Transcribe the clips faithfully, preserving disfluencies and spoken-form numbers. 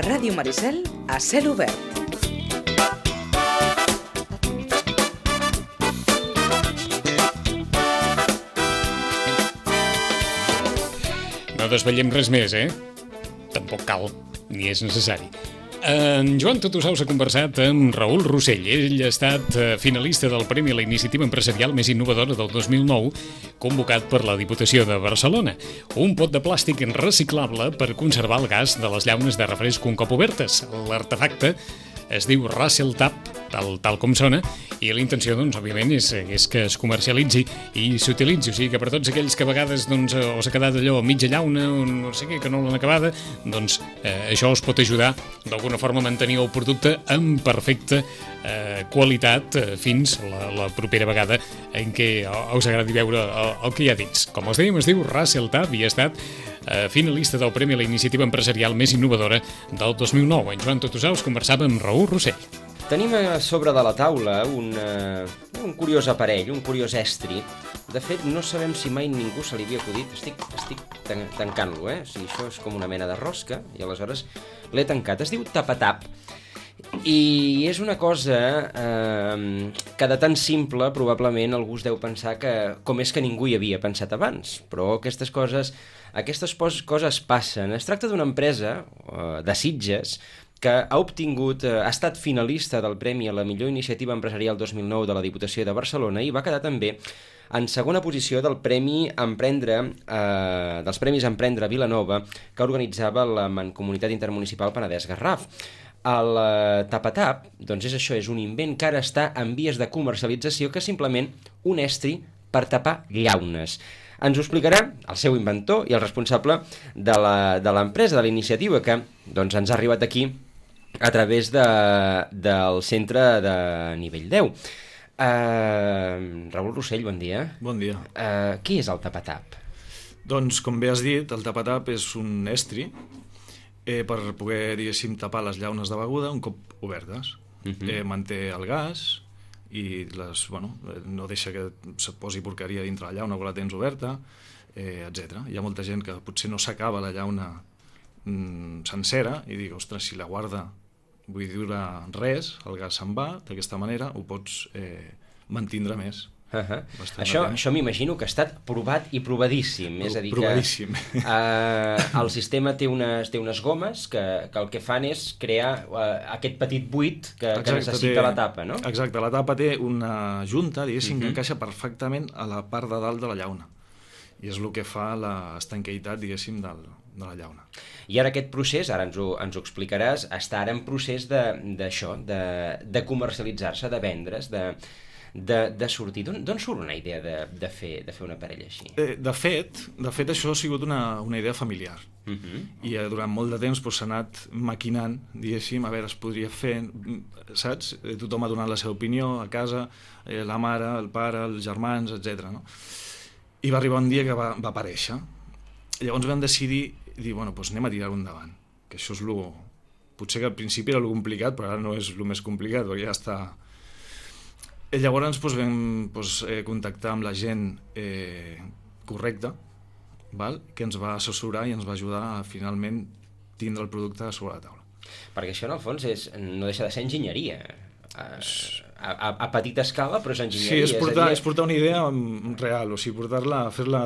Ràdio Maricel a cel obert. No desvetllem res més, eh? Tampoc cal, ni és necessari. En Joan Tot ho Saus ha conversat amb Raül Rossell. Ell ha estat finalista del Premi a la Iniciativa Empresarial més innovadora del dos mil nou, convocat per la Diputació de Barcelona. Un pot de plàstic reciclable per conservar el gas de les llaunes de refresc un cop obertes. L'artefacte es diu Russell Tap, tal, tal com sona, i la intenció, doncs, òbviament, és, és que es comercialitzi i s'utilitzi. O sigui que per tots aquells que a vegades doncs, o s'ha quedat allò a mitja llauna o no sé què, que no l'han acabada, doncs eh, això us pot ajudar d'alguna forma a mantenir el producte en perfecta eh, qualitat eh, fins la, la propera vegada en què us agradi veure el, el que hi ha dins. Com els dèiem, es diu Russell Tap i ha estat eh, finalista del Premi a la Iniciativa Empresarial més innovadora del dos mil nou. En Joan Tot ho Saus conversava amb Raül Rossell. Tenim a sobre de la taula un, uh, un curiós aparell, un curiós estri. De fet, no sabem si mai ningú se li havia acudit. Estic, estic tan tancant-lo, eh? O sigui, això és com una mena de rosca, i aleshores l'he tancat. Es diu tapatap. I és una cosa eh, que de tan simple probablement algú es deu pensar que com és que ningú hi havia pensat abans. Però aquestes coses, aquestes coses passen. Es tracta d'una empresa eh, de Sitges que ha obtingut, ha estat finalista del Premi a la millor iniciativa empresarial dos mil nou de la Diputació de Barcelona i va quedar també en segona posició del Premi Emprendre, eh, dels Premis Emprendre Vilanova que organitzava la Mancomunitat Intermunicipal Penedès-Garraf. El eh, tapatap, doncs és això, és un invent que ara està en vies de comercialització, que és simplement un estri per tapar llaunes. Ens ho explicarà el seu inventor i el responsable de l'empresa, de la iniciativa, que doncs, ens ha arribat aquí a través de, del centre de nivell deu. Uh, Raül Rossell, bon dia. Bon dia. Uh, què és el tapatap? Doncs, com bé has dit, el tapatap és un estri eh, per poder, diguéssim, tapar les llaunes de beguda un cop obertes. Uh -huh. eh, manté el gas i les, bueno, no deixa que se posi porqueria dintre la llauna quan la tens oberta, eh, etcètera. Hi ha molta gent que potser no s'acaba la llauna mm, sencera i dic, ostres, si la guarda vull dir res, el gas se'n va, d'aquesta manera ho pots eh, mantindre més. Uh -huh. Això, això m'imagino que ha estat provat i provadíssim. Pro, és a dir provadíssim. Que uh, el sistema té unes, té unes gomes que, que el que fan és crear uh, aquest petit buit que, Exacte, que necessita té, la tapa, no? Exacte, la tapa té una junta, diguéssim, uh -huh. que encaixa perfectament a la part de dalt de la llauna. I és el que fa l'estanqueïtat, diguéssim, del, de la llauna. I ara aquest procés, ara ens ho, ens ho explicaràs, està ara en procés d'això, de, de, de comercialitzar-se, de vendre's, de... De, de sortir. D'on surt una idea de, de, fer, de fer una parella així? Eh, de fet, de fet, això ha sigut una, una idea familiar. Uh -huh. I eh, durant molt de temps doncs, s'ha anat maquinant, diguéssim, a veure, es podria fer, saps? Eh, tothom ha donat la seva opinió a casa, eh, la mare, el pare, els germans, etcètera. No? I va arribar un dia que va, va aparèixer. Llavors vam decidir, dir, bueno, doncs anem a tirar-ho endavant. Que això és lo... Potser que al principi era lo complicat, però ara no és el més complicat, perquè ja està... I llavors doncs, vam doncs, eh, contactar amb la gent eh, correcta, val? Que ens va assessorar i ens va ajudar a finalment tindre el producte sobre la taula. Perquè això en el fons és, no deixa de ser enginyeria, a, a, a petita escala, però és enginyeria. Sí, és portar, és, dir... és portar una idea real, o sigui, portar-la, fer-la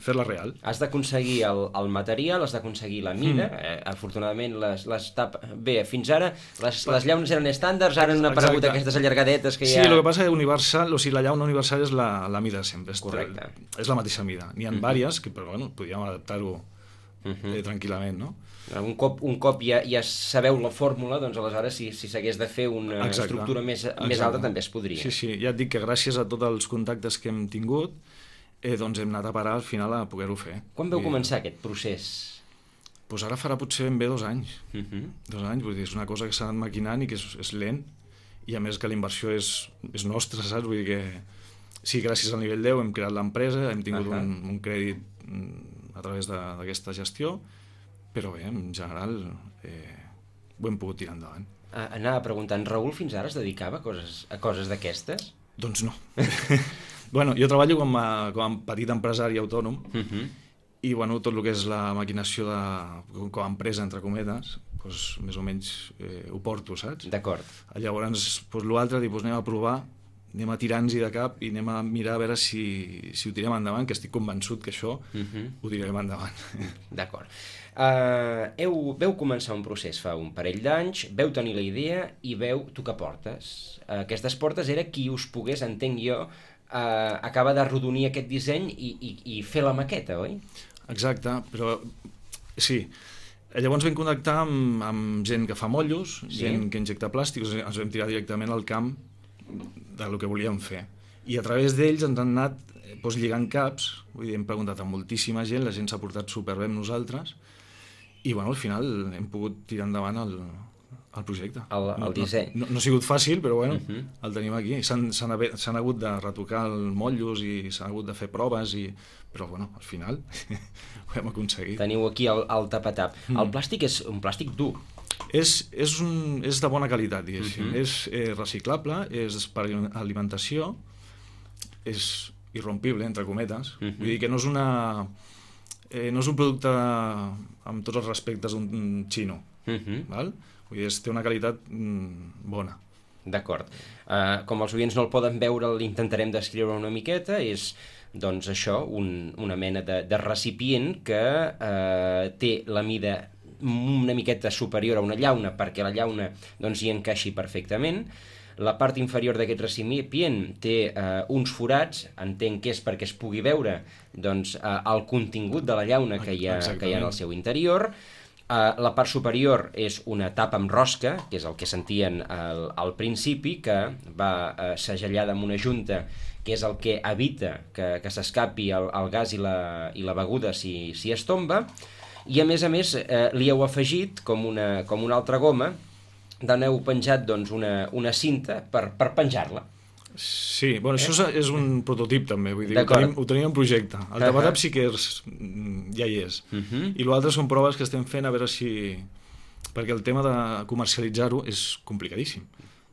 fer-la real. Has d'aconseguir el, el material, has d'aconseguir la mida, mm. eh, afortunadament les, les tap... Bé, fins ara les, les llaunes eren estàndards, ara han aparegut Exacte. Aquestes allargadetes que hi ha... Sí, el que passa és universal, o sigui, la llauna universal és la, la mida sempre. Correcte. És la mateixa mida. N'hi ha mm -hmm. vàries, que, però bueno, podríem adaptar-ho mm -hmm. eh, tranquil·lament, no? Un cop, un cop ja, ja sabeu la fórmula, doncs aleshores si, si s'hagués de fer una Exacte. estructura més, més alta també es podria. Sí, sí, ja et dic que gràcies a tots els contactes que hem tingut eh, doncs hem anat a parar al final a poder-ho fer. Quan veu I, començar aquest procés? Doncs ara farà potser ben bé dos anys. Uh -huh. Dos anys, vull dir, és una cosa que s'ha anat maquinant i que és, és lent, i a més que la inversió és, és nostra, saps? Vull dir que sí, gràcies al nivell deu hem creat l'empresa, hem tingut uh -huh. un, un crèdit a través d'aquesta gestió, però bé, en general eh, ho hem pogut tirar endavant. Ah, anava preguntant, Raül fins ara es dedicava a coses, a coses d'aquestes? Doncs no. Bueno, jo treballo com a, com a petit empresari autònom, uh-huh. i bueno, tot el que és la maquinació de, com a empresa, entre cometes, doncs, més o menys eh, ho porto, saps? D'acord. Llavors, doncs, l'altre, doncs, anem a provar, anem a tirar-nos-hi de cap i anem a mirar a veure si, si ho tirem endavant, que estic convençut que això uh-huh. ho tirarem endavant. D'acord. Uh, heu, veu començar un procés fa un parell d'anys, veu tenir la idea i veu tocar portes. Uh, aquestes portes era qui us pogués, entenc jo, uh, acabar d'arrodonir aquest disseny i, i, i fer la maqueta, oi? Exacte, però sí. Llavors vam contactar amb, amb gent que fa mollos, sí. gent que injecta plàstics, ens vam tirar directament al camp del que volíem fer. I a través d'ells ens han anat doncs, lligant caps, vull dir, hem preguntat a moltíssima gent, la gent s'ha portat superbé amb nosaltres, i bueno, al final hem pogut tirar endavant el, el projecte. El, el no, disseny. No, no, no ha sigut fàcil, però bueno, uh Uh-huh. el tenim aquí. S'han hagut de retocar els motllos i s'han hagut de fer proves, i... però bueno, al final ho hem aconseguit. Teniu aquí el, el tapatap. Mm. El plàstic és un plàstic dur. És, és, un, és de bona qualitat, diguéssim. Uh-huh. És eh, reciclable, és per alimentació, és irrompible, entre cometes. Uh-huh. Vull dir que no és una... Eh, no és un producte amb tots els respectes d'un xino, Uh-huh. val? Vull dir, és, té una qualitat mm, bona. D'acord. Uh, com els oients no el poden veure, l'intentarem descriure una miqueta. És, doncs, això, un, una mena de, de recipient que uh, té la mida una miqueta superior a una llauna perquè la llauna doncs, hi encaixi perfectament. La part inferior d'aquest recipient té uh, uns forats, entenc que és perquè es pugui veure doncs, uh, el contingut de la llauna que hi ha, que hi ha en el seu interior. Uh, la part superior és una tapa amb rosca, que és el que sentien al, al principi, que va uh, segellada amb una junta, que és el que evita que, que s'escapi el, el gas i la, i la beguda si, si es tomba, i a més a més eh, li heu afegit com una, com una altra goma, d'aneu penjat doncs, una, una cinta per, per penjar-la. Sí, bueno, eh? això és un prototip també, vull dir, ho D'acord. tenim, ho tenim en projecte. El Uh-huh. tapatap sí que és, ja hi és. Uh-huh. I l'altre són proves que estem fent a veure si... Perquè el tema de comercialitzar-ho és complicadíssim.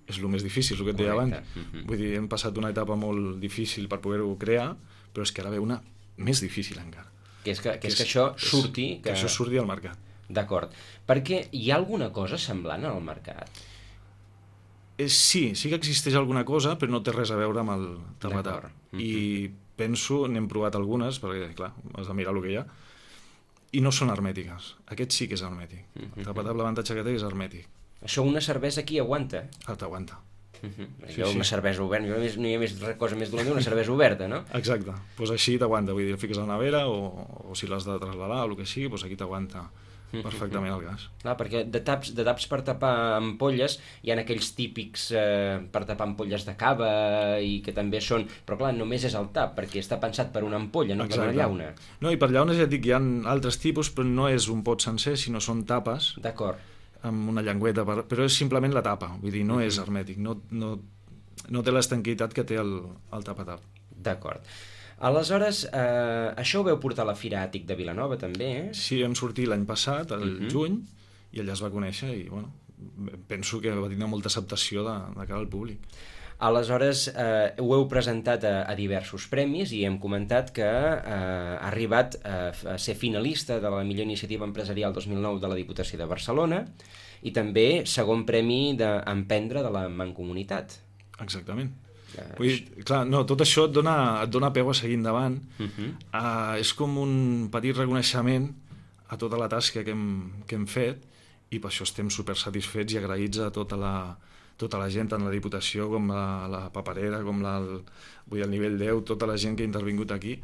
És el més difícil, el que et deia abans. Uh-huh. Vull dir, hem passat una etapa molt difícil per poder-ho crear, però és que ara ve una més difícil encara. Que és que, que, és que això surti... Que... que això surti al mercat. D'acord. Perquè hi ha alguna cosa semblant al mercat? Eh, sí, sí que existeix alguna cosa, però no té res a veure amb el tapatap. D'acord. I penso, n'hem provat algunes, perquè, clar, has de mirar el que hi ha, i no són hermètiques. Aquest sí que és hermètic. El tapatap, l'avantatge que té és hermètic. Això una cervesa aquí aguanta? Ah, t'aguanta. Uh-huh. Sí, Una sí. cervesa oberta, no hi ha, no hi ha més cosa més dolenta que una cervesa oberta, no? Exacte. Doncs pues així t'aguanta, vull dir, el fiques a la nevera o, o si l'has de trasladar o el que sigui, doncs aquí t'aguanta perfectament el gas. Clar, perquè de taps, de taps per tapar ampolles hi ha aquells típics eh, per tapar ampolles de cava i que també són... Però clar, només és el tap, perquè està pensat per una ampolla, no per una llauna. No, i per llaunes ja et dic, hi ha altres tipus, però no és un pot sencer, sinó són tapes D'acord. amb una llengüeta, per... però és simplement la tapa, vull dir, no és hermètic, no, no, no té l'estanquitat que té el, el tapatap. D'acord. Aleshores, eh, això ho veu portar a la Fira Àtic de Vilanova, també, eh? Sí, vam sortir l'any passat, el Uh-huh. juny, i allà es va conèixer i, bueno, penso que va tindre molta acceptació de, de cara al públic. Aleshores, eh, ho heu presentat a, a diversos premis i hem comentat que eh, ha arribat a, a ser finalista de la millor iniciativa empresarial dos mil nou de la Diputació de Barcelona i també segon premi d'Emprendre de la Mancomunitat. Exactament. Eh, Vull dir, clar, no, tot això et dona, et dona peu a seguir endavant. Uh-huh. Uh, és com un petit reconeixement a tota la tasca que hem, que hem fet i per això estem super satisfets i agraïts a tota la, tota la gent, tant la Diputació com la, la paperera, com la, el, vull dir, el nivell deu, tota la gent que ha intervingut aquí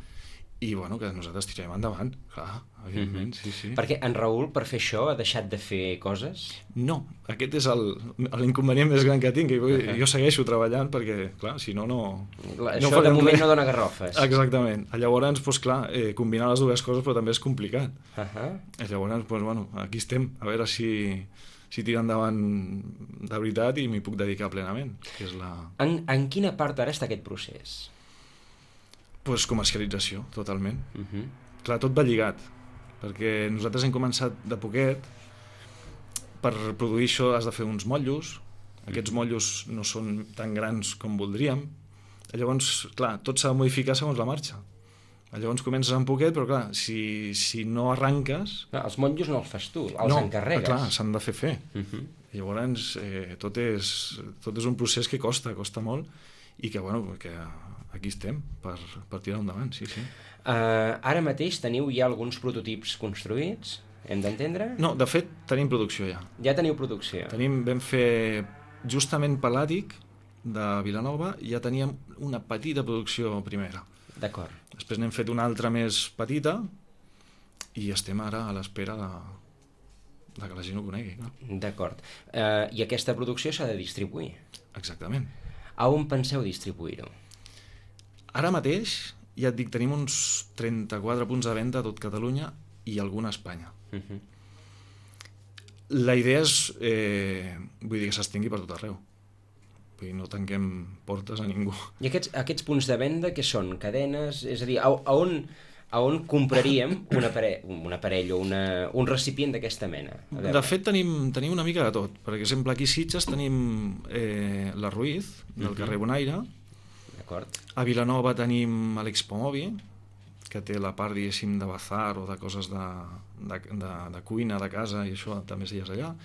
i bueno, que nosaltres tirem endavant, clar, evidentment, mm-hmm. sí, sí. Perquè en Raül, per fer això, ha deixat de fer coses? No, aquest és l'inconvenient més gran que tinc, que jo, Uh-huh. jo segueixo treballant perquè, clar, si no, no... Això no de moment res. no dona garrofes. Exactament. Llavors, doncs, clar, eh, combinar les dues coses però també és complicat. Uh-huh. Llavors, doncs, bueno, aquí estem, a veure si, si tira endavant de veritat i m'hi puc dedicar plenament, que és la... En, en quina part ara està aquest procés? Pues comercialització, totalment. Uh-huh. Clar, tot va lligat, perquè nosaltres hem començat de poquet, per produir això has de fer uns motllos, aquests motllos no són tan grans com voldríem, llavors, clar, tot s'ha de modificar segons la marxa. Llavors comences amb poquet, però clar, si, si no arranques... Clar, els motllos no els fas tu, els no, encarregues. Clar, s'han de fer fer. Uh -huh. Llavors, eh, tot, és, tot és un procés que costa, costa molt, i que, bueno, que aquí estem per, per tirar endavant, sí, sí. Uh, ara mateix teniu ja alguns prototips construïts, hem d'entendre? No, de fet, tenim producció ja. Ja teniu producció. Tenim, vam fer justament Pelàtic, de Vilanova, i ja teníem una petita producció primera. D'acord. Després n'hem fet una altra més petita i estem ara a l'espera de, de que la gent ho conegui. No? D'acord. Uh, I aquesta producció s'ha de distribuir? Exactament. A on penseu distribuir-ho? Ara mateix, ja et dic, tenim uns trenta-quatre punts de venda a tot Catalunya i algun a Espanya. Uh -huh. La idea és, eh, vull dir, que s'estengui per tot arreu. Vull dir, no tanquem portes a ningú. I aquests, aquests punts de venda, què són? Cadenes? És a dir, a, a, on, a on compraríem un aparell, un aparell o una, un recipient d'aquesta mena? De fet, tenim, tenim una mica de tot. Per exemple, aquí a Sitges tenim eh, la Ruiz, del uh-huh. carrer Bonaire. D'acord. A Vilanova tenim l'Expo Mobi, que té la part, diguéssim, de bazar o de coses de, de, de, de cuina, de casa, i això també és allà.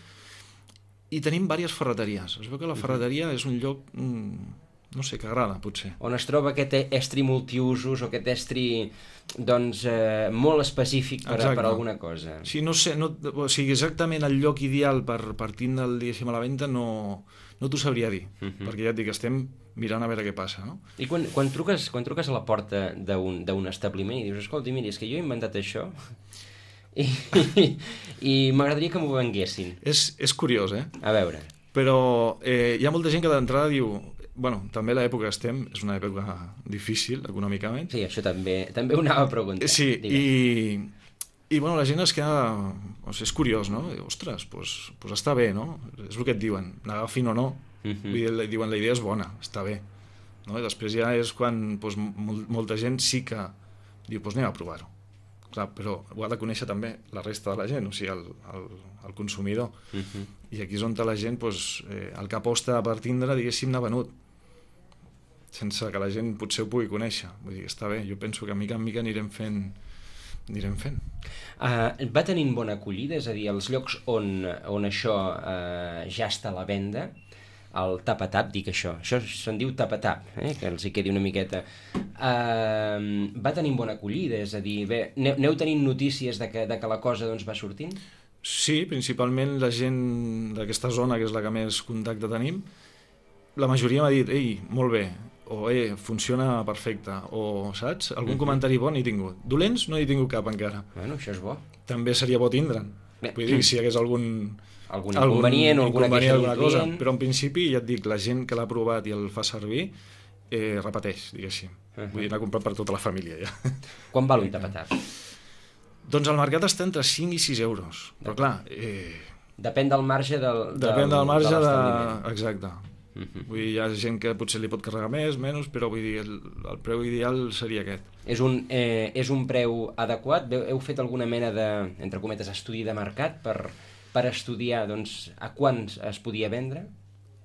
I tenim diverses ferreteries. Es veu que la ferreteria és un lloc, no sé, que agrada, potser. On es troba aquest estri multiusos o aquest estri, doncs, eh, molt específic per, per alguna cosa. Sí, no sé, no, o sigui, exactament el lloc ideal per, per tindre'l, diguéssim, a la venda no, no t'ho sabria dir, uh -huh. perquè ja et dic, estem mirant a veure què passa, no? I quan, quan, truques, quan truques a la porta d'un establiment i dius, escolta, mira, és que jo he inventat això... I, i, i m'agradaria que m'ho venguessin. És, és curiós, eh? A veure. Però eh, hi ha molta gent que d'entrada diu... Bueno, també l'època que estem és una època difícil, econòmicament. Sí, això també també ho anava a preguntar. Sí, i, i bueno, la gent es queda... O sigui, és curiós, no? I, ostres, doncs, doncs està bé, no? És el que et diuen, n'agafin o no. Uh -huh. Vull dir, diuen, la idea és bona, està bé. No? I després ja és quan doncs, mol, molta gent sí que diu, doncs anem a provar-ho. Clar, però ho ha de conèixer també la resta de la gent, o sigui, el, el, el consumidor. Uh-huh. I aquí és on la gent, doncs, eh, el que aposta per tindre, diguéssim, n'ha venut, sense que la gent potser ho pugui conèixer. Vull dir, està bé, jo penso que mica en mica anirem fent... anirem fent. Uh, va tenint bona acollida, és a dir, els llocs on, on això uh, ja està a la venda, el tap-a-tap, dic això, això se'n diu tap-a-tap, eh? Que els hi quedi una miqueta. Uh, va tenint bona acollida, és a dir, bé, aneu tenint notícies de que, de que la cosa doncs, va sortint? Sí, principalment la gent d'aquesta zona, que és la que més contacte tenim, la majoria m'ha dit, ei, molt bé, o eh, funciona perfecte, o saps? Algun uh-huh. comentari bo n'he tingut. Dolents no n'he tingut cap encara. Bueno, això és bo. També seria bo tindre'n. Vull dir, si hi hagués algun... algun inconvenient o alguna queixa d'un cosa, però en principi ja et dic, la gent que l'ha provat i el fa servir eh, repeteix, diguéssim. Uh -huh. Vull dir, n'ha comprat per tota la família ja. Quan val un tap-a-tap? Doncs el mercat està entre cinc i sis euros, però clar... Eh, depèn del marge del, del depèn del marge de de... Exacte. Uh -huh. Vull dir, hi ha gent que potser li pot carregar més, menys, però vull dir, el, el preu ideal seria aquest. És un, eh, és un preu adequat? Heu fet alguna mena de, entre cometes, estudi de mercat per... per estudiar doncs, a quants es podia vendre?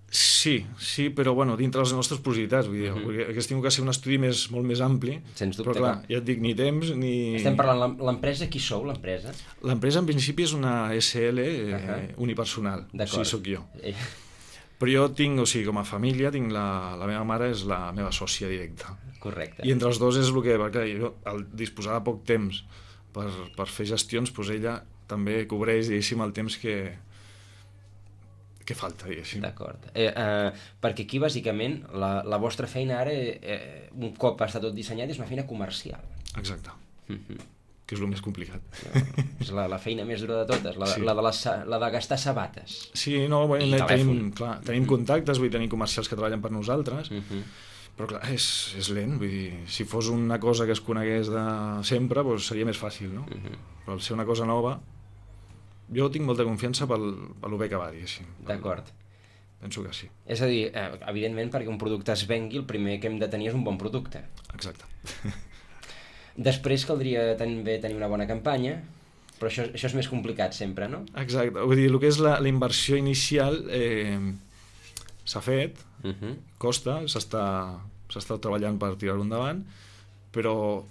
Sí, sí, però bueno, dintre les nostres possibilitats, vull dir, uh -huh. hagués tingut que ser un estudi més, molt més ampli, sens dubte, però clar, ja et dic, ni temps ni... Estem parlant, l'empresa, qui sou, l'empresa? L'empresa en principi és una S L eh, uh -huh. unipersonal, o sigui, sóc jo. Eh. Però jo tinc, o sigui, com a família, tinc la, la meva mare és la meva sòcia directa. Correcte. I entre els dos és el que, perquè jo, al disposar de poc temps per, per fer gestions, doncs ella també cobreix, diguéssim, el temps que, que falta, diguéssim. D'acord. Eh, eh, perquè aquí, bàsicament, la, la vostra feina ara, eh, un cop està tot dissenyat, és una feina comercial. Exacte. Uh-huh. Que és el més complicat. És la, la feina més dura de totes, la, sí. la, de, les, la de gastar sabates. Sí, no, bueno, tenim, clar, tenim uh-huh. contactes, vull dir, tenim comercials que treballen per nosaltres, uh-huh. però clar, és, és lent, vull dir, si fos una cosa que es conegués de sempre, doncs seria més fàcil, no? Uh-huh. Però al ser una cosa nova, jo tinc molta confiança pel, pel bé que va, diguéssim. D'acord. Penso que sí. És a dir, eh, evidentment, perquè un producte es vengui, el primer que hem de tenir és un bon producte. Exacte. Després caldria també tenir una bona campanya, però això, això és més complicat sempre, no? Exacte. Vull dir, el que és la, la inversió inicial eh, s'ha fet, uh-huh. costa, s'està s'està treballant per tirar-ho endavant, però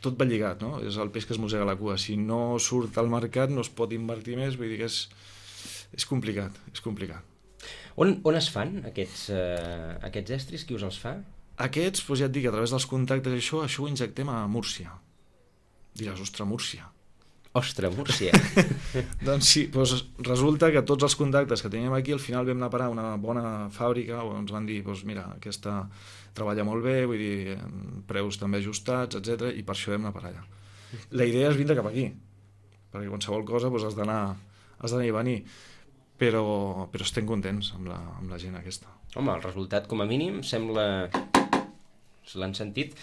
tot va lligat, no? És el peix que es mossega la cua. Si no surt al mercat no es pot invertir més, vull dir que és, és complicat, és complicat. On, on es fan aquests, uh, aquests estris? Qui us els fa? Aquests, doncs ja et dic, a través dels contactes, això, això ho injectem a Múrcia. Diràs, ostres, Múrcia. Ostres, Múrcia. Doncs sí, doncs resulta que tots els contactes que teníem aquí, al final vam anar a parar a una bona fàbrica on ens van dir, doncs mira, aquesta treballa molt bé, vull dir, preus també ajustats, etcètera, i per això vam anar a parar allà. La idea és vindre cap aquí, perquè qualsevol cosa doncs, has d'anar has d'anar i venir, però, però estem contents amb la, amb la gent aquesta. Home, el resultat, com a mínim, sembla... si l'han sentit,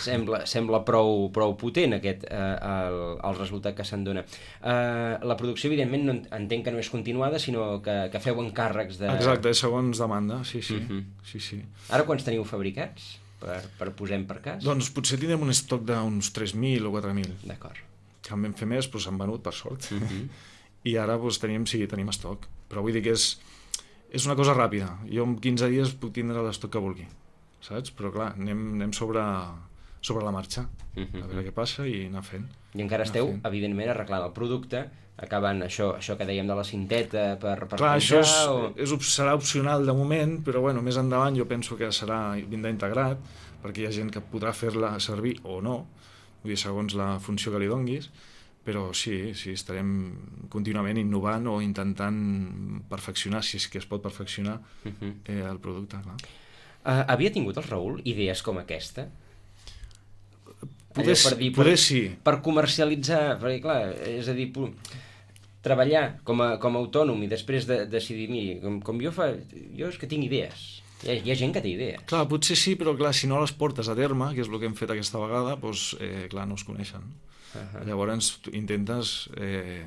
sembla, sembla prou, prou potent aquest, eh, el, el resultat que se'n dona. Eh, la producció, evidentment, no entenc que no és continuada, sinó que, que feu encàrrecs de... Exacte, segons demanda, sí, sí. Uh-huh. sí, sí. Ara quants teniu fabricats, per, per posem per cas? Doncs potser tindrem un estoc d'uns tres mil o quatre mil. D'acord. Que en vam fer més, doncs s'han venut, per sort. Uh-huh. I ara doncs, tenim, sí, tenim estoc. Però vull dir que és, és una cosa ràpida. Jo en quinze dies puc tindre l'estoc que vulgui. Saps? Però clar, anem, anem sobre, sobre la marxa, uh-huh. a veure què passa i anar fent. I encara esteu, fent. evidentment, arreglant el producte, acabant això, això que dèiem de la cinteta per, per clar, penjar, això és, o... és, serà opcional de moment, però bueno, més endavant jo penso que serà vindrà integrat, perquè hi ha gent que podrà fer-la servir o no, vull dir, segons la funció que li donguis, però sí, sí, estarem contínuament innovant o intentant perfeccionar, si és que es pot perfeccionar, uh-huh. eh, el producte, clar. Uh, havia tingut el Raül idees com aquesta? Poder, per dir, poder per, sí. Per comercialitzar, perquè clar, és a dir, treballar com a, com a autònom i després de, decidir, miri, com, com jo fa, jo és que tinc idees. Hi ha, hi ha gent que té idees. Clar, potser sí, però clar, si no les portes a terme, que és el que hem fet aquesta vegada, doncs, eh, clar, no es coneixen. Uh-huh. Llavors intentes... Eh,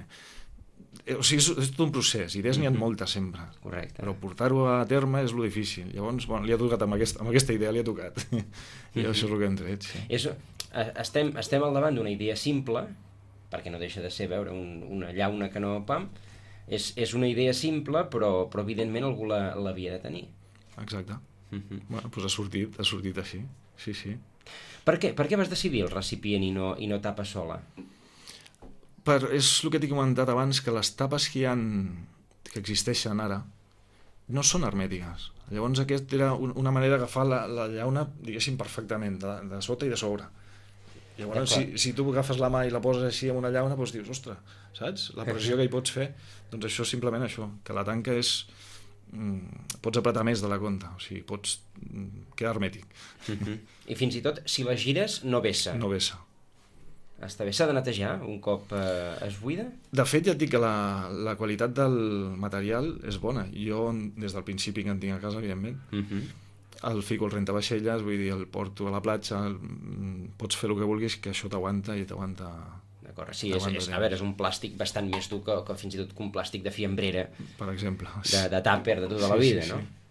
o sigui, és, és tot un procés, idees n'hi ha moltes sempre. Correcte. Però portar-ho a terme és lo difícil. Llavors, bueno, li ha tocat amb, aquest, amb aquesta idea, li ha tocat. I mm-hmm. això és el que hem tret, sí. És, estem, estem al davant d'una idea simple, perquè no deixa de ser veure un, una llauna que no pam, és, és una idea simple, però, però evidentment algú l'havia la, de tenir. Exacte. Mm-hmm. Bueno, doncs ha sortit, ha sortit així, sí, sí. Per què, per què vas decidir el recipient i no, i no tapa sola? Per, és el que t'he comentat abans, que les tapes que hi ha, que existeixen ara, no són hermètiques. Llavors aquest era un, una manera d'agafar la, la llauna, diguéssim, perfectament, de, de sota i de sobre. Llavors, si, si tu agafes la mà i la poses així en una llauna, doncs dius, ostres, saps? La pressió que hi pots fer, doncs això és simplement això, que la tanca és... Mm, pots apretar més de la compta, o sigui, pots mm, quedar hermètic. Uh-huh. I fins i tot, si la gires, no vessa. No vessa. Està bé, s'ha de netejar un cop eh, es buida? De fet, ja et dic que la, la qualitat del material és bona. Jo, des del principi que en tinc a casa, evidentment, uh-huh. el fico al rentavaixelles, vull dir, el porto a la platja, el, pots fer el que vulguis, que això t'aguanta i t'aguanta... D'acord, sí, és, és, a veure, és un plàstic bastant més dur que, que fins i tot que un plàstic de fiambrera. Per exemple. De, de tàper de tota la vida, sí, sí, no? Sí.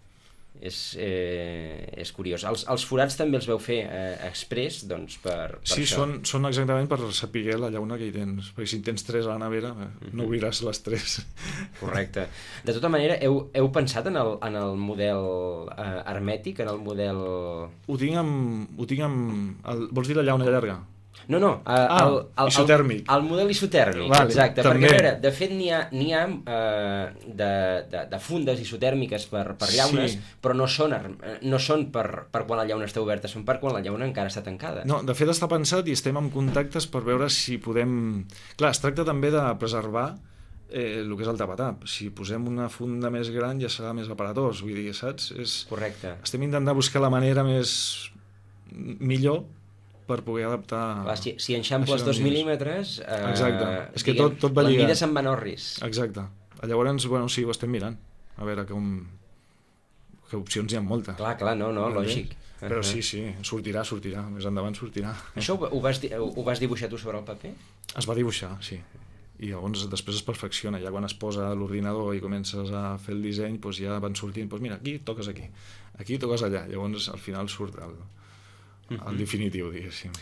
És, eh, és curiós. Els, els forats també els veu fer eh, express, doncs, per, per sí, això. Són, són exactament per saber la llauna que hi tens, perquè si en tens tres a la nevera, eh, uh-huh. no obriràs les tres. Correcte. De tota manera, heu, heu pensat en el, en el model eh, hermètic, en el model... Ho tinc amb... Ho tinc amb el, vols dir la llauna llarga? No, no, eh, ah, el, el, isotèrmic. El, el model isotèrmic, vale, exacte. també. Perquè, a veure, de fet, n'hi ha, n'hi ha eh, de, de, de fundes isotèrmiques per, per llaunes, sí. però no són, no són per, per quan la llauna està oberta, són per quan la llauna encara està tancada. No, de fet està pensat i estem en contactes per veure si podem... Clar, es tracta també de preservar eh, el que és el tapatap. Si posem una funda més gran ja serà més aparatós, vull dir, saps? És... Correcte. Estem intentant buscar la manera més... millor per poder adaptar... Clar, si, si enxamples dos mil·límetres... Eh, Exacte, és que diguem, tot, tot va lligat. La mida se'n va en orris. Exacte. Llavors, bueno, sí, ho estem mirant. A veure com... que opcions hi ha moltes. Clar, clar, no, no, lògic. Però sí, sí, sortirà, sortirà. Més endavant sortirà. Això ho, ho, vas, ho vas dibuixar tu sobre el paper? Es va dibuixar, sí. I llavors després es perfecciona. Ja quan es posa a l'ordinador i comences a fer el disseny, doncs ja van sortint, doncs mira, aquí toques aquí, aquí toques allà. Llavors al final surt el... el definitiu, diguéssim.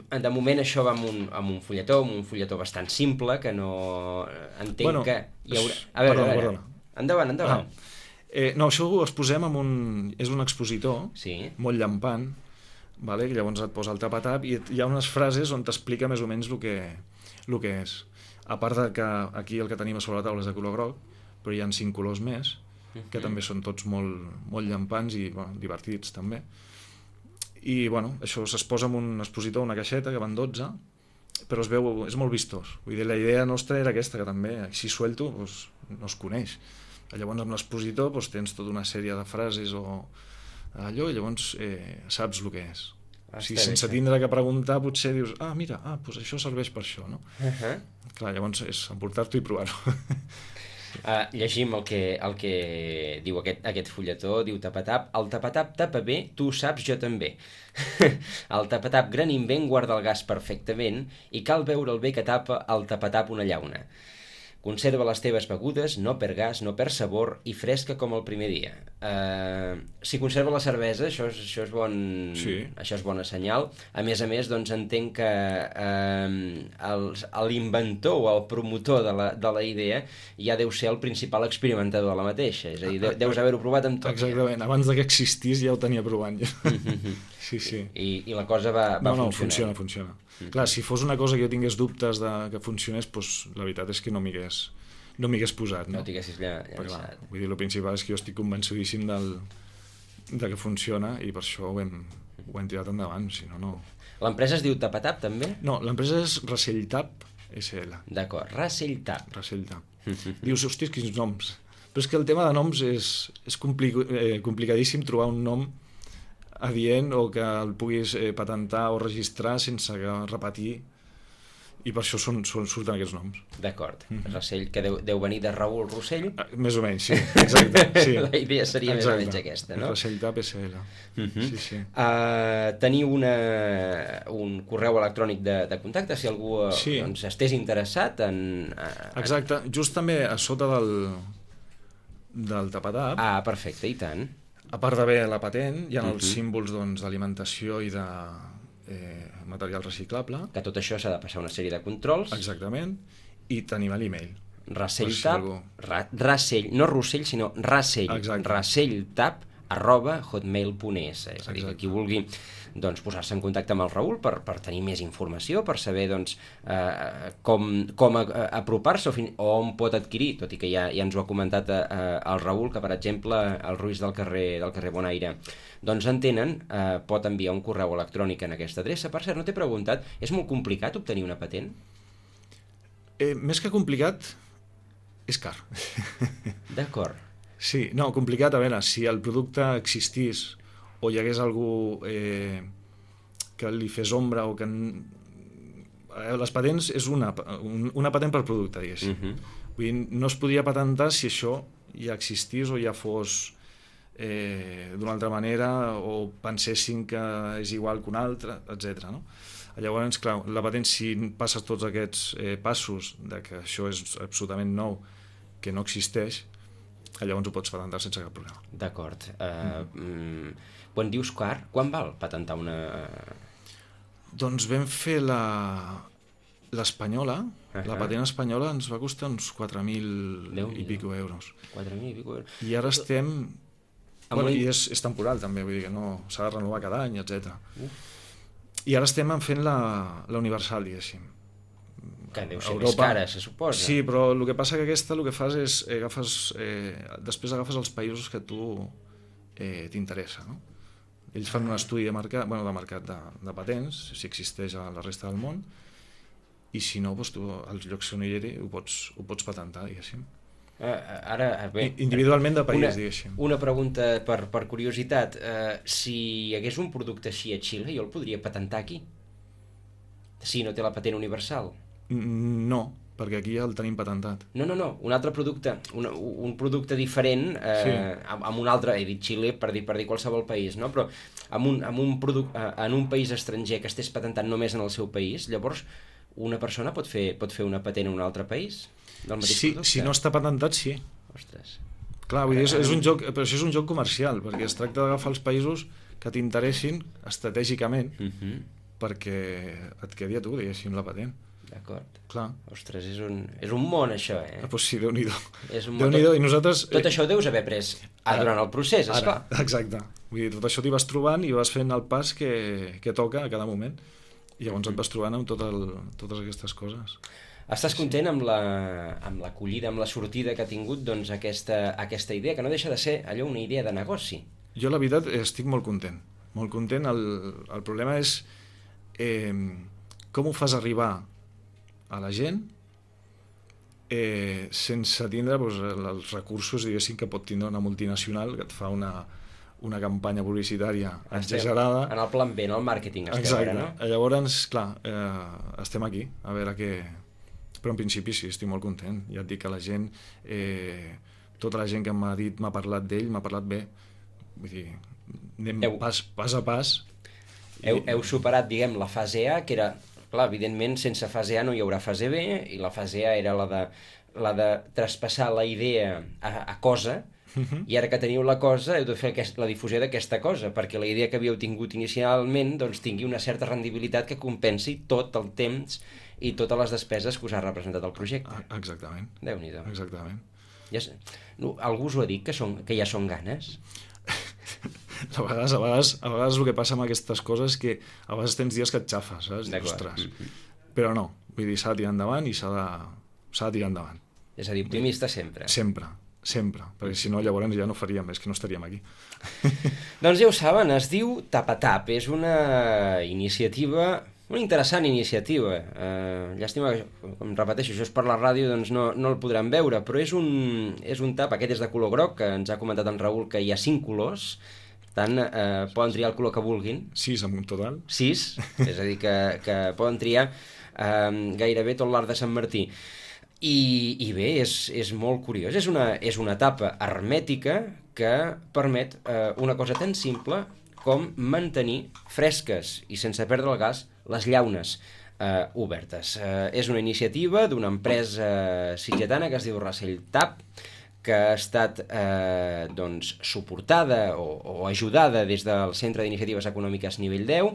De moment això va amb un, amb un fulletó, amb un fulletó bastant simple, que no entenc bueno, que hi haurà... A veure, perdona, a veure. Perdona. Endavant, endavant. Ah. Eh, no, això ho exposem amb un... és un expositor, sí. molt llampant, vale? Llavors et posa el tap-a-tap i hi ha unes frases on t'explica més o menys el que, el que és. A part de que aquí el que tenim a sobre la taula és de color groc, però hi ha cinc colors més, que també són tots molt, molt llampants i bueno, divertits també. I bueno, això es posa en un expositor, una caixeta, que van dotze, però es veu, és molt vistós. Vull dir, la idea nostra era aquesta, que també, si suelto, doncs, no es coneix. Llavors amb l'expositor doncs, tens tota una sèrie de frases o allò, i llavors eh, saps el que és. O sigui, sense tindre que preguntar, potser dius, ah, mira, ah, doncs això serveix per això, no? Uh-huh. Clar, llavors és emportar-t'ho i provar-ho. Uh, llegim el que, el que diu aquest, aquest fulletó, diu Tapatap: el Tapatap tapa bé, tu ho saps, jo també. El Tapatap gran invent guarda el gas perfectament i cal veure el bé que tapa el Tapatap una llauna. Conserva les teves begudes, no per gas, no per sabor i fresca com el primer dia. Uh, si conserva la cervesa, això és, això és, bon, sí. això és bona senyal. A més a més, doncs entenc que uh, l'inventor o el promotor de la, de la idea ja deu ser el principal experimentador de la mateixa. És a dir, deus haver-ho provat amb tot. Exactament, ja. Abans que existís ja ho tenia provant. Ja. Sí, sí. I, i la cosa va, va no, no, funcionar. funciona, funciona. Mm-hmm. Clar, si fos una cosa que jo tingués dubtes de que funcionés, doncs la veritat és que no m'hi hagués, no m'hi hagués posat. No, no t'haguessis llançat. Clar, vull dir, el principal és que jo estic convençudíssim del, de que funciona i per això ho hem, ho hem tirat endavant, si no, no... L'empresa es diu Tapatap, també? No, l'empresa és Raselltap S L. D'acord, Raselltap. Raselltap. Dius, hòstia, quins noms. Però és que el tema de noms és, és compli eh, complicadíssim trobar un nom adient o que el puguis eh, patentar o registrar sense repetir, i per això són, són, surten aquests noms. D'acord. Mm-hmm. Rossell, que deu, deu venir de Raül Rossell? Ah, més o menys, sí. Exacte. Sí. La idea seria Exacte. Més o menys aquesta, no? Raselltap S L. Mm-hmm. Sí, sí. Uh, teniu una, un correu electrònic de, de contacte si algú sí. doncs, estés interessat en... Uh, Exacte. Just també a sota del, del Tapatap. Ah, perfecte, i tant. A part d'haver la patent, hi ha uh-huh. els símbols d'alimentació doncs, i de eh, material reciclable. Que tot això s'ha de passar una sèrie de controls. Exactament. I tenim l'email. Raselltap, si ra, Rasell, no Rossell, sinó Rasell. Exacte. Raselltap arroba hotmail punt es. És a dir, que qui vulgui doncs, posar-se en contacte amb el Raül per, per tenir més informació, per saber doncs, eh, com, com a, a, apropar-se o, fin, o on pot adquirir, tot i que ja, ja ens ho ha comentat eh, el Raül, que per exemple el Ruiz del carrer, del carrer Bonaire doncs en tenen, eh, pot enviar un correu electrònic en aquesta adreça. Per cert, no t'he preguntat, és molt complicat obtenir una patent? Eh, més que complicat, és car. D'acord. Sí, no, complicat, a veure, si el producte existís o hi hagués algú eh, que li fes ombra o que... Les patents és una, una patent per producte, diguéssim. Uh-huh. Vull dir, no es podria patentar si això ja existís o ja fos eh, d'una altra manera o pensessin que és igual que un altre, etcètera. No? Llavors, clar, la patent, si passes tots aquests eh, passos de que això és absolutament nou, que no existeix, llavors ho pots patentar sense cap problema. D'acord. Uh, mm. Quan dius car, quan val patentar una... Doncs vam fer la l'espanyola, uh-huh. La patent espanyola ens va costar uns quatre mil i pico euros. quatre mil i pico euros. I ara estem... Bueno, i és, és temporal també, vull dir que no s'ha de renovar cada any, etcètera. Uh. I ara estem fent la, la universal, diguéssim. Que deu ser més cara, se suposa. Sí, però el que passa que aquesta el que fas és eh, agafes, eh, després agafes els països que a tu eh, t'interessa, no? Ells fan un estudi de mercat, bueno, de mercat de, de patents, si existeix a la resta del món, i si no, doncs tu, als llocs on hi eri, ho pots, ho pots patentar, diguéssim. Uh, ara, bé, individualment de país, una, diguéssim. Una pregunta per, per curiositat. Uh, si hi hagués un producte així a Xile, jo el podria patentar aquí? Si no té la patent universal? No, perquè aquí ja el tenim patentat. No, no, no, un altre producte, un, un producte diferent, eh, sí. amb, amb un altre, he dit Xile per dir, per dir qualsevol país, no? Però amb un, amb un produc, eh, en un país estranger que estés patentant només en el seu país, llavors una persona pot fer, pot fer una patent en un altre país? Del mateix sí, producte? Si no està patentat, sí. Ostres. Clar, vull dir, és, és un joc, però això és un joc comercial, perquè es tracta d'agafar els països que t'interessin estratègicament, uh-huh. perquè et quedi a tu, diguéssim, la patent. D'acord. Clar. Ostres, és un, és un món, això, eh? Ah, doncs sí, Déu-n'hi-do. És un món. Déu-n'hi-do, i nosaltres... Tot això ho deus haver pres ah, durant el procés, esclar. Ara, exacte. Vull dir, tot això t'hi vas trobant i vas fent el pas que, que toca a cada moment. I llavors et vas trobant amb tot el, totes aquestes coses. Estàs content amb la, amb l'acollida, amb la sortida que ha tingut doncs, aquesta, aquesta idea, que no deixa de ser allò una idea de negoci? Jo, la veritat, estic molt content. Molt content. El, el problema és eh, com ho fas arribar a la gent eh, sense tindre doncs, els recursos, diguéssim, que pot tindre una multinacional que et fa una, una campanya publicitària exagerada. En el plan B, en el màrqueting estem. Exacte. Ara, no? Llavors, clar, eh, estem aquí, a veure què... Però en principi sí, estic molt content. Ja et dic que la gent, eh, tota la gent que m'ha dit, m'ha parlat d'ell, m'ha parlat bé. Vull dir, anem heu, pas, pas a pas. Heu, heu superat, diguem, la fase A, que era, clar, evidentment, sense fase A no hi haurà fase B, i la fase A era la de, la de traspassar la idea a, a cosa, uh-huh. I ara que teniu la cosa heu de fer aquest, la difusió d'aquesta cosa, perquè la idea que havíeu tingut inicialment doncs, tingui una certa rendibilitat que compensi tot el temps i totes les despeses que us ha representat el projecte. Exactament. Déu-n'hi-do. Exactament. Ja, no, algú us ho ha dit, que, són, que ja són ganes? A vegades, a, vegades, a vegades el que passa amb aquestes coses és que a vegades tens dies que et xafes, saps? Ostres. Mm-hmm. Però no, vull dir, s'ha de tirar endavant i s'ha de, s'ha de tirar endavant. És a dir, optimista sempre. Sempre, sempre, perquè si no llavors ja no faríem, és que no estaríem aquí. Doncs ja ho saben, es diu Tapatap, és una iniciativa... Una interessant iniciativa. Uh, llàstima que, com repeteixo, això és per la ràdio, doncs no, no el podran veure, però és un, és un tap, aquest és de color groc, que ens ha comentat en Raül que hi ha cinc colors, per tant, uh, poden triar el color que vulguin. Sis en un total. Sis, és a dir, que, que poden triar uh, gairebé tot l'art de Sant Martí. I, i bé, és, és molt curiós. És una, és una tapa hermètica que permet uh, una cosa tan simple com mantenir fresques i sense perdre el gas les llaunes eh, obertes. Eh, és una iniciativa d'una empresa sitgetana que es diu Racell Tap, que ha estat eh, doncs, suportada o, o ajudada des del Centre d'Iniciatives Econòmiques Nivell deu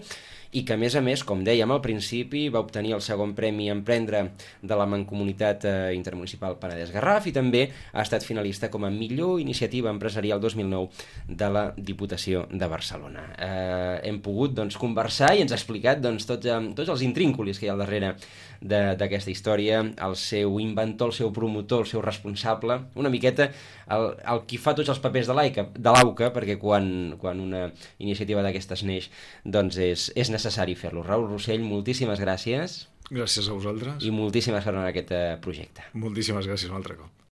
i que, a més a més, com dèiem al principi, va obtenir el segon premi Emprendre de la Mancomunitat eh, Intermunicipal Penedès-Garraf i també ha estat finalista com a millor iniciativa empresarial dos mil nou de la Diputació de Barcelona. Eh, hem pogut doncs, conversar i ens ha explicat doncs, tots, eh, tots els intrínculis que hi ha al darrere d'aquesta història, el seu inventor, el seu promotor, el seu responsable, una miqueta el, el qui fa tots els papers de l'AUCA, perquè quan, quan una iniciativa d'aquestes neix, doncs és, és necessari fer-lo. Raül Rossell, moltíssimes gràcies. Gràcies a vosaltres. I moltíssimes gràcies en aquest projecte. Moltíssimes gràcies un altre cop.